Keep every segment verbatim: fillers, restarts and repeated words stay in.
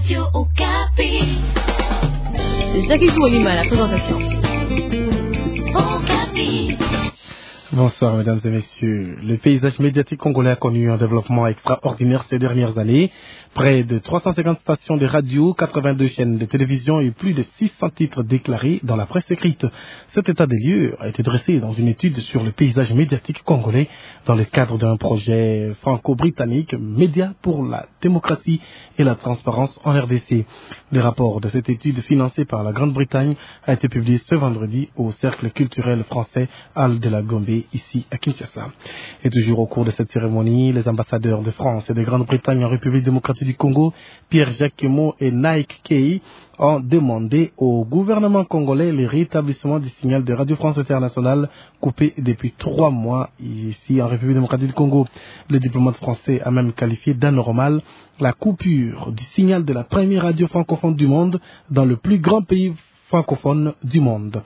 Radio Okapi. Jackie Koualima à la présentation. Okapi. Bonsoir, mesdames et messieurs. Le paysage médiatique congolais a connu un développement extraordinaire ces dernières années. Près de trois cent cinquante stations de radio, quatre-vingt-deux chaînes de télévision et plus de six cents titres déclarés dans la presse écrite. Cet état des lieux a été dressé dans une étude sur le paysage médiatique congolais dans le cadre d'un projet franco-britannique, Médias pour la démocratie et la transparence en R D C. Le rapport de cette étude financée par la Grande-Bretagne a été publié ce vendredi au Cercle culturel français Hall de la Gombe, ici à Kinshasa. Et toujours au cours de cette cérémonie, les ambassadeurs de France et de Grande-Bretagne en République démocratique du Congo, Pierre Jacquemot et Nike Kay, ont demandé au gouvernement congolais le rétablissement du signal de Radio France Internationale coupé depuis trois mois ici en République démocratique du Congo. Le diplomate français a même qualifié d'anormal la coupure du signal de la première radio francophone du monde dans le plus grand pays francophone du monde.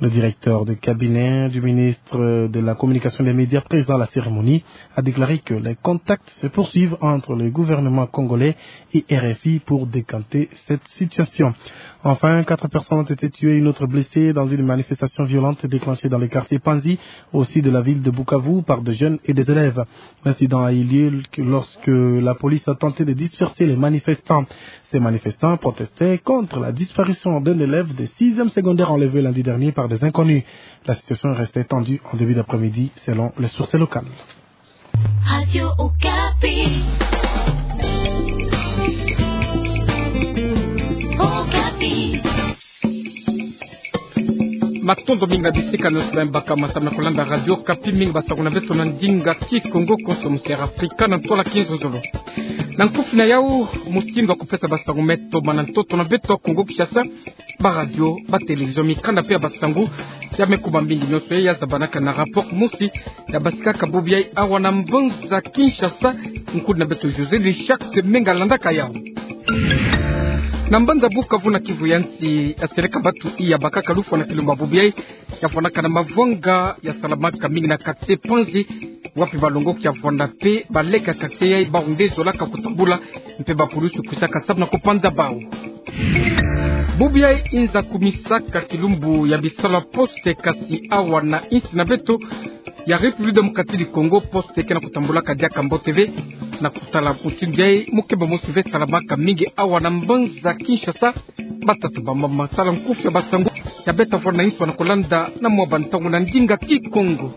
Le directeur de cabinet du ministre de la Communication et des Médias présent à la cérémonie a déclaré que les contacts se poursuivent entre le gouvernement congolais et R F I pour décanter cette situation. Enfin, quatre personnes ont été tuées et une autre blessée dans une manifestation violente déclenchée dans le quartier Panzi, au sud de la ville de Bukavu, par des jeunes et des élèves. L'incident a eu lieu lorsque la police a tenté de disperser les manifestants. Ces manifestants protestaient contre la disparition d'un élève de sixième secondaire enlevé lundi dernier par des inconnus. La situation est restée tendue en début d'après-midi, selon les sources locales. Radio Okapi. Okapi. Matondo mingi na bisika nyonso beno baka masamu na kolanda Radio Okapi, mingi basango na beto na ndinga Kikongo, konso mu Sierra Africa na ntwala kinzonzolo. Na nkufi na yau, mutindu ya kupesa basango me toma na ntoto na beto ya Kongo Kinshasa, ba radio, ba télévision, mikanda mpe ya basango ya me kuma mingi. Nyonso yayi ya zabanaka na rapport mosi ya basikaka bubu yayi awa na mbanza Kinshasa. Nkundi na beto José de Jacques Menga landaka yau. Na mbanza Bukavu na Kivu ya nsi, ya seleka batu iya bakaka lufwa na kilumbu ya bubu yayi ya fwanaka na mavanga ya salamaka mingi na quartier Panzi, wapi balongoki ya fwana mpe baleka quartier yayi bawu nde zolaka kutambula, mpe ba pulusu kwisaka samu na kupanza bawu. Bubu yayi inza kumisaka kilumbu ya bisalu ya poste, kasi awa na insi na beto ya République démocratique du Congo, poste ke na kutambulaka diaka mbote ve. Na kutala mutindu yayi, mukeba mosi ve salamaka mingi awa na mbanza Kinshasa. Batata, bamama, tala nkufi ya basango ya beta vwanda na insi na kolanda na mwa bantangu na ndinga Kikongo.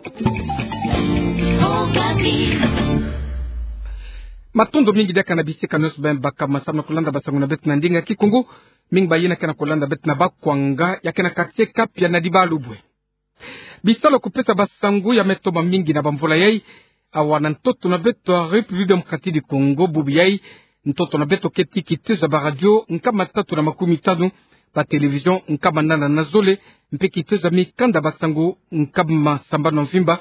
Matondo mingi diaka na bisika nyonso beno baka masamu na kolanda basango na beto na ndinga Kikongo. Mingi bayina ke na kolanda beto na Bakwanga, ya ke na quartier Kapia na Dibalubwe. Bisalu ya kupesa basango ya me toma mingi na bamvula yayi awa na ntoto na beto ya République démocratique du Congo. Bubu yayi, ntoto na beto keti kitezo ya ba radio nkama tatu na makumi tanu, ba télévision nkama nana na zole, mpe kitezo ya mikanda basango nkama sambanu na mvimba.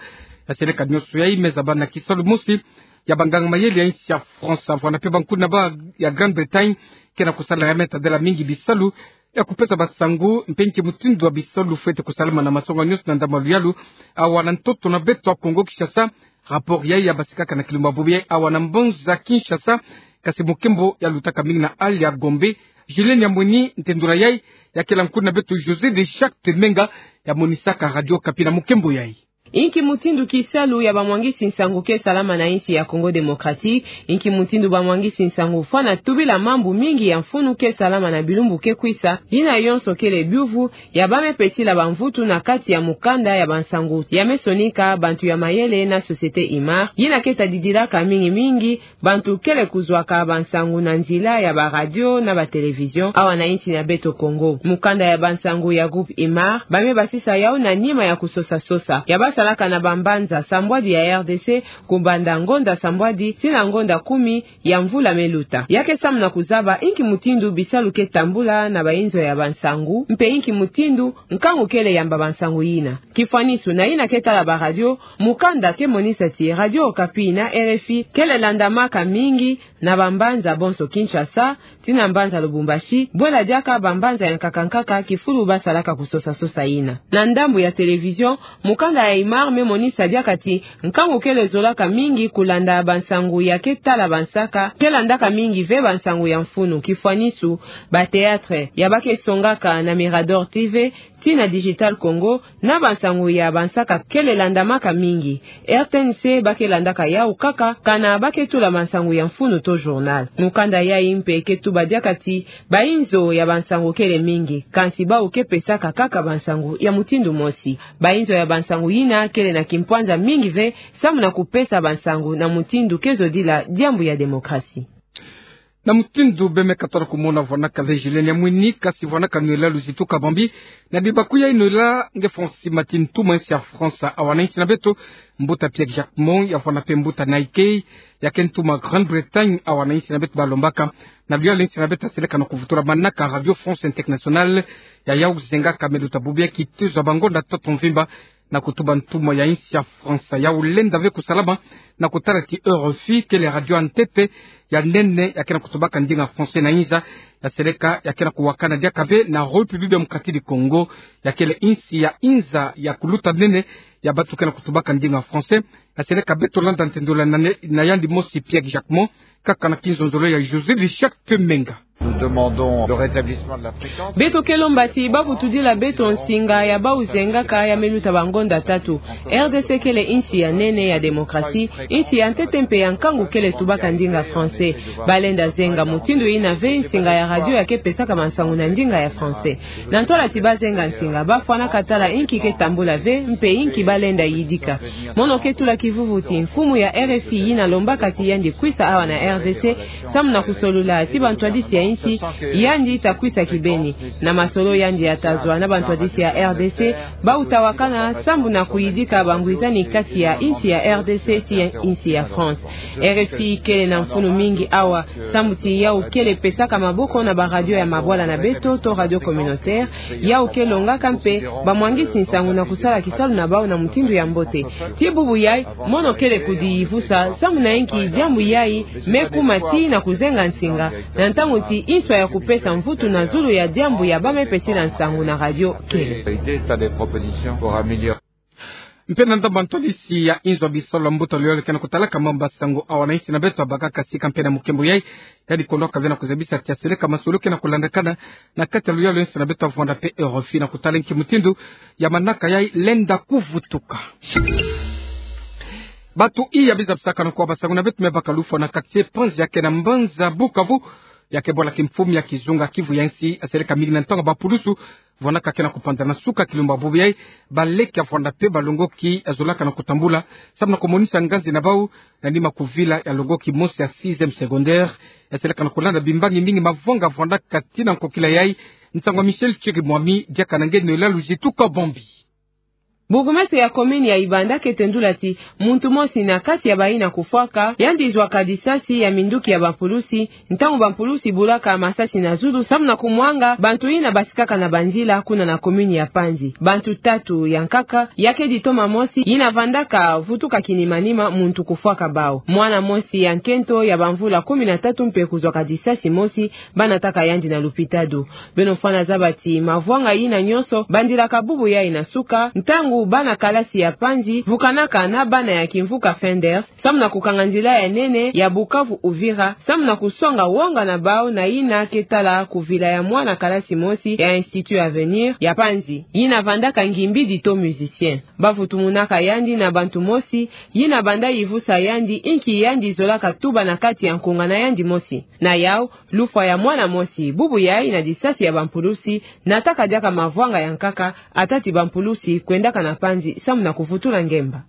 Ya seleka nyonso yayi me zaba na kisalu mosi ya banganga mayele ya insi ya France, vwanda mpe bankundi na bawu ya Grande-Bretagne ke na kusala ya me tadela mingi bisalu ya kupesa basango, mpe nki mutindu ya bisalu fwete kusalama na masonga nyonso na ndambu ya luyalu awa na ntoto na beto ya Kongo Kinshasa. Rapport yayi ya basikaka na kilumbu ya bubu yayi awa na mbanza Kinshasa, kasi mukembo ya lutaka mingi na Hall ya Gombe. Julien Nyamweni, ntendula yayi ya kela nkundi na beto José de Jacques Menga, ya monisaka Radio Okapi na mukembo yayi. Inki mutindu kisalu ya bamwangisi nsangu ke salama na insi ya Congo Démocratique? Inki mutindu bamwangisi nsangu fwana tubila mambu mingi ya mfunu ke salama na bilumbu ke kwisa? Yina yonso kele biuvu ya ba me pesila bamvutu na kati ya mukanda ya bansangu ya me sonika bantu ya mayele na Société Imar, yina ke tadidilaka mingi mingi bantu kele kuzwaka bansangu na nzila ya ba radio na ba télévision awa na insi na beto Congo. Mukanda ya bansangu ya groupe Imar, ba me basisa yau na nima ya kusosa-sosa ya ba salaka na bambanza sambwadi ya R D C, kubanda ngonda sambwadi tii na ngonda kumi ya mvula me luta. Ya ke samu na kuzaba inki mutindu bisalu ke tambula na bayinzo ya bansangu, mpe inki mutindu nkangu kele yamba bansangu yina. Kifwanisu, na yina ke tala ba radio, mukanda ke monisa ti Radio Okapi na R F I kele landamaka mingi na bambanza bonso Kinshasa tii na mbanza Lubumbashi, bwela diaka bambanza ya nkaka-nkaka kifulu ba salaka kusosa-sosa yina. Na ndambu ya télévision, mukanda ya Omar me monisa diaka ti nkangu kele zolaka mingi kulanda bansangu ya ke tala bansaka, ke landaka mingi ve bansangu ya mfunu, kifwanisu, ba théâtre ya ba ke songaka na Mirador T V, ti na Digital Congo, na bansangu ya bansaka kele landamaka mingi. R T N C ba ke landaka yau kaka, kana ba ke tula bansangu ya mfunu to journal. Mukanda yai mpe ke tuba diaka ti, bainzo ya bansangu kele mingi, kansi bau ke pesaka kaka bansangu ya mutindu mosi. Bainzo ya bansangu yina kele na kimpwanza mingi ve, samu na kupesa bansangu na mutindu ke zodila diambu ya démocratie. Na mutindu beme ka tona kumona vwanaka ve Julienne Yamwini, kasi vwanaka Noëlla Luzitu Kabambi, na dibaku ya Noëlla nge Francis Mati, ntumwa ya insi ya France awa na insi na beto, mbuta Pierre Jacquemont, ya vwana mpe mbuta Nike, ya ke ntumwa Grande-Bretagne awa na insi na beto, balombaka na luyalu ya insi na beto, aseleka na kuvutula manaka Radio France Internationale, ya yau zengaka me luta bubu ya kitezo ya bangonda tatu mvimba, na kutuba ntumwa ya insi ya France. Yau lenda ve kusalama na kutala ti R F I kele radio ya ntete ya nene ya ke na kutubaka ndinga français na inza, ya seleka ya ke na kuwakana diaka ve na République démocratique du Congo, ya kele insi ya inza ya kuluta nene ya bantu ke na kutubaka ndinga français. Ya seleka beto landa ntendula na ne-, na yandi mosi Pierre Jacquemont, kaka na kinzonzolo ya José Richard Kemenga. Nous demandons le rétablissement de la fréquence. Beto ke lomba ti ba vutudila beto nsinga ya bau zengaka ya me luta bangonda tatu. R D C kele insi ya nene ya démocratie, insi ya ntete mpe ya nkangu kele tubaka ndinga français. Ba lenda zenga mutindu yina ve nsinga ya radio ya ke pesaka bansangu na ndinga ya français. Na ntwala ti ba zenga nsinga, ba fwanaka tala inki ke tambula ve, mpe inki ba lenda yidika. Mono ke tula kivuvu ti mfumu ya R F I yina lombaka ti yandi kwisa awa na R D C, samu na kusolula ti bantwadisi ya insi, yandi ta kwisa kibeni. Na masolo yandi ya ta zwa na bantwadisi ya R D C, bau ta wakana samu na kuyidika bangwizani kati ya insi ya R D C ti ya insi ya France. R F I kele na mfunu mingi awa, samu ti yau kele pesaka maboko na ba radio ya mabwala na beto to radio communautaire, yau ke longaka mpe bamwangisi nsangu na kusala kisalu na bau na mutindu ya mbote. Ti bubu yai, mono kele kudiyivusa samu na inki diambu yai me kuma ti na kuzenga nsinga, na ntangu ti inswa ya kupesa mvutu na zulu ya diambu ya ba me pesila nsangu na radio kele. Mpe na ndambu ya ntwadisi ya inzo ya bisalu ya mbuta luyalu ke na kutalaka mambu ya nsangu awa na insi na beto, abakaka sika mpe na mukembo yai, yandi kondwaka ve na kuzabisa ti aseleka masolo ke na kulandakana na kati ya luyalu ya insi na beto, avwanda mpe R F I na kutala inki mutindu ya manaka yai lenda kuvutuka. Bantu iya bizabisaka na kwa bansangu na beto me baka lufwa na quartier Panzi ya ke na mbanza Bukavu, ya ke bwala kimfumu ya kizunga Kivu ya nsi, aseleka mingi na ntangu bampulusu vwanaka ke na kupanza na suka kilumbu bubu yai, baleke, avwanda mpe balongoki, azolaka na kutambula samu na kumonisa nganzi na bau na nima kuvila ya longoki mosi ya sixième secondaire. Aseleka na kulanda bimbangi mingi mavwanga vwandaka tii na nkokila yai. Nsangu ya Michel Chirimwami, diaka na nge Noëlla Luzitu Kabambi. Bourgmestre ya commune ya Ibanda ke tendula ti muntu mosi na kati ya bayina kufwaka, yandi zwaka disasi ya minduki ya bampulusi, ntangu bampulusi bulaka masasi na zulu samu na kumwanga bantu yina basikaka na banzila kuna na commune ya Panzi. Bantu tatu ya nkaka, ya ke ditoma mosi yina vandaka vutuka kinimanima muntu kufwaka bau. Mwana mosi ya nkento ya bamvula kumi na tatu mpe kuzwaka disasi mosi, ba nataka yandi na lupitalu. Beno fwana zaba ti mavwanga yina nyonso bandilaka bubu yai na suka, ntangu bana kalasi ya Panzi vukanaka na bana ya kimvuka Fenders, samu na kukanga nzila ya nene ya Bukavu Uvira, samu na kusonga wonga na bau na yina ke tala kuvila ya mwana kalasi mosi ya Institut Avenir ya Panzi, yina vandaka Ngimbidi to musicien. Ba vutumunaka yandi na bantu mosi, yina banda yivusa yandi inki yandi zolaka tuba na kati ya nkunga na yandi mosi. Na yau, lufwa ya mwana mosi bubu yai na disasi ya bampulusi, nataka diaka mavwanga ya nkaka, ata ti bampulusi kwendaka na Panzi samu na kuvutula ngemba.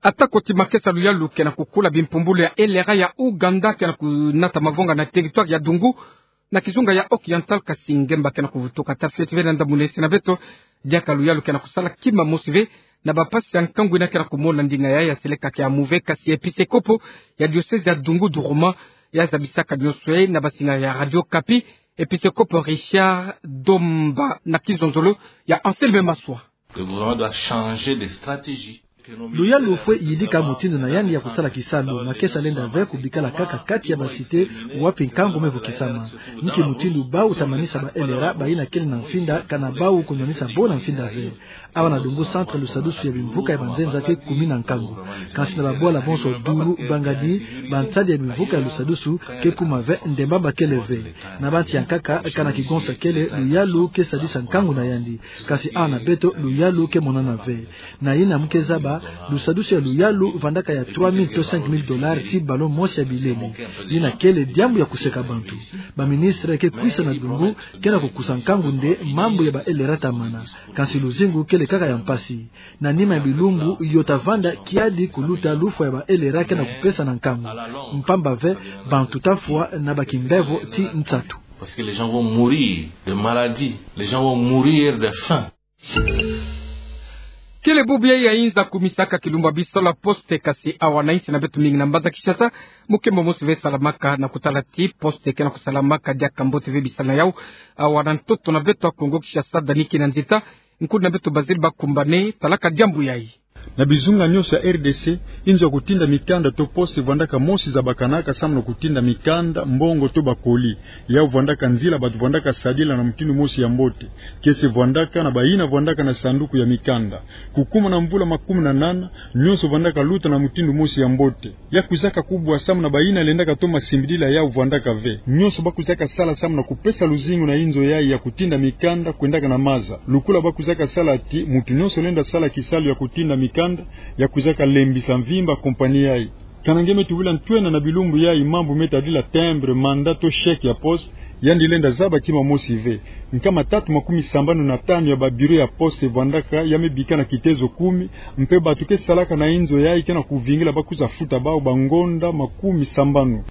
Ata ko ti makesa luyalu ke na kukula, bimpumbulu ya LRA ya Ouganda ke na kunata mavwanga na territoire ya Dungu, na kizunga ya Oriental, kasi ngemba ke na kuvutuka. Ta fioti ve na ndambu na insi na beto, diaka luyalu ke na kusala kima mosi ve, na bampasi ya nkangu yina ke na kumona ndinga yai, aseleka ke amu ve, kasi episekopo ya diocèse ya Dungu Duruma, ya zabisaka nyonso yai na bansinga ya Radio Okapi, episekopo Richard Domba na kinzonzolo ya Anselme Maswa. Le gouvernement doit changer de stratégie. Luyalu fwe yidika mutindu na yandi ya kusala kisalu, makesa lenda ve kubikala kaka kati ya ba cité wapi nkangu me vukisama. Ni ki mutindu bau ta manisa ba L R A bayina kele na mfinda, kana bau kunwanisa bo na mfinda ve. Awa na Dungu Centre, lusadusu ya bimvuka ya banzenza ke kumi na nkangu. Kansi na babwala bonso Dulu, Bangadi, bansadi ya bimvuka ya lusadusu ke kuma ve, ndemba bakele ve. Na bansi ya nkaka, kana kigonsa kele, luyalu ke sadisa nkangu na yandi. Kansi awa na beto, luyalu ke monana ve. Na yina mu ke zaba, lusadusu ya luyalu vandaka ya trois mille to cinq mille dollars ti ballon mosi ya bilele. Yina kele diambu ya kuseka bantu. Ba ministre ke kwisa na Dungu, ke na kukusa nkangu nde mambu ya ba L R A ta mana. Kansi luzingu kele kaka ya mpasi. Na nima ya bilumbu, yo ta vanda kiadi kuluta lufwa ya ba L R A ke na kupesa na nkangu. Mpamba ve, bantu ta fwa na ba kimbevo ti nsatu. Parce que les gens vont mourir de maladie, les gens vont mourir de faim. Kele bubu ya inza kumisaka kilumbu ya bisalu ya poste, kansi awa na insi na beto mingi na mbanza Kinshasa, mukembo mosi ve salamaka na kutala ti poste ke na kusalamaka diaka mbote ve bisalu na yau. Awa na ntoto na beto ya Kongo Kinshasa, Dani Kinanzita, nkundi na beto Bazile Bakumbane, talaka diambu yai. Na bizunga nyonso ya R D C, inzo ya kutinda mikanda to poste vwandaka mosi zabakanaka samu na kutinda mikanda, mbongo to ba colis. Yau vwandaka nzila bantu vwandaka sadila na mutindu mosi ya mbote. Kiese vwandaka na bayina vwandaka na sanduku ya mikanda. Kukuma na mvula makumi na nana, nyonso vwandaka luta na mutindu mosi ya mbote. Ya kwizaka kubwa samu na bayina lendaka toma simbidila yau vwandaka ve. Nyonso ba kwizaka sala samu na kupesa luzingu na inzo yai ya kutinda mikanda kwendaka na maza. Lukula ba kwizaka sala ti, muntu nyonso lenda sala kisalu ya kutinda mikanda, ya kwizaka lembisa mvimba kompani yai. Kana nge me tubila ntwena na bilumbu yai mambu me tadila timbre, mandat to chèque ya poste, yandi lenda zaba kima mosi ve. Nkama tatu makumi sambanu na tanu ya ba bureau ya poste vwandaka ya me bika na kitezo kumi, mpe bantu ke salaka na inzo yai ke na kuvingila ba kwiza futa bau bangonda makumi sambanu.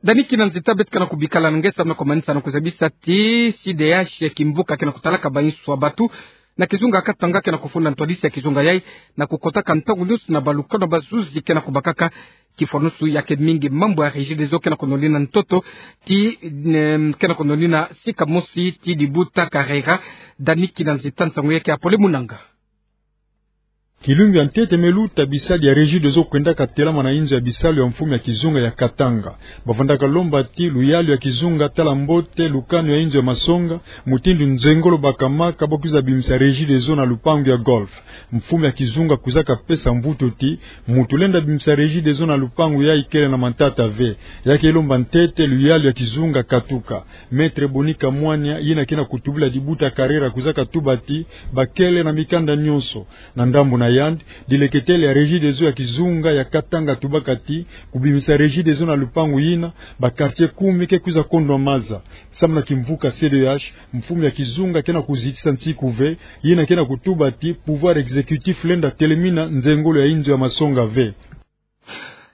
Dani Kinanzita, beto ke na kubikala na nge samu na kumanisa na kuzabisa ti C D H kimvuka ke na kutalaka ba insu ya bantu na kizunga Katanga ke na kufunda ntwadisi ya kizunga yai na kukotaka ntangu nyonso na balukanu ya bazuzi ke na kubakaka kifwanusu ya ke mingi mambu ya Regideso ke na kunonina ntoto ti, em, ke na kunonina sika mosi ti dibuta karera. Dani Kinanzita, nsangu yai ke ya pole mu nanga. Kilumbu ya ntete me luta, bisadi ya Regideso kwendaka telama na inzo ya bisalu ya mfumu ya kizunga ya Katanga. Ba vwandaka lomba ti luyalu ya kizunga tala mbote lukanu ya inzo ya masonga, mutindu nzengolo bakamaka ba kwiza bimisa Regideso na lupangu ya golf. Mfumu ya kizunga kwizaka pesa mvutu ti, muntu lenda bimisa Regideso na lupangu yai kele na matata ve. Ya ke lomba ntete luyalu ya kizunga katuka. Maître Boni Kamwanya, yina ke na kutubila dibuta karera, kwizaka tuba ti, ba kele na mikanda nyonso. Na ndambu na yandi, dileketele ya Regideso ya kizunga ya Katanga tubaka ti, kubimisa Regideso na lupangu yina, ba quartier kumi ke kwiza kondwa maza. Samu na kimvuka C D H, mfumu ya kizunga ke na kuzitisa nsiku ve, yina ke na kutuba ti, pouvoir exécutif lenda telemina nzengolo ya inzo ya masonga ve.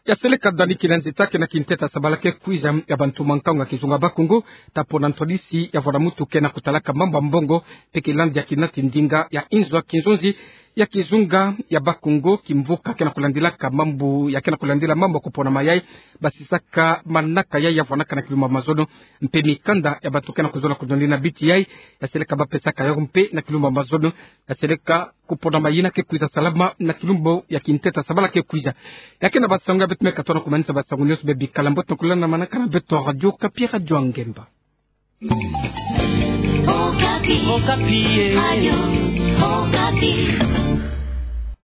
Ya seleka Dani Kinanzita, ke na kinteta sabala ke kwiza ya bantu mankangu ya kizunga Bakongo, ta pona ntwadisi ya vwala muntu ke na kutalaka mambu ya mbongo, mpe kilandi ya kinati ndinga ya inzo ya kinzonzi ya kizunga ya Bakongo, kimvuka ke na kulandilaka mambu, ya ke na kulandila mambu ya kupona mayai, basisaka manaka yai ya vwanaka na kilumbu ya mazono, mpe mikanda ya bantu ke na kuzola kuzonzi na biti yai, ya seleka ba pesaka yau mpe na kilumbu ya mazono, ya seleka kupona mayina ke kwiza salama na kilumbu ya kinteta sabala ke kwiza. Ya ke na basango ya beto me katoa na kumanisa basango nyonso be bikala mbote na kulanda manaka na beto Radio Okapi, Radio ya Ngemba. Okapi. Okapi, eh. Radio Okapi.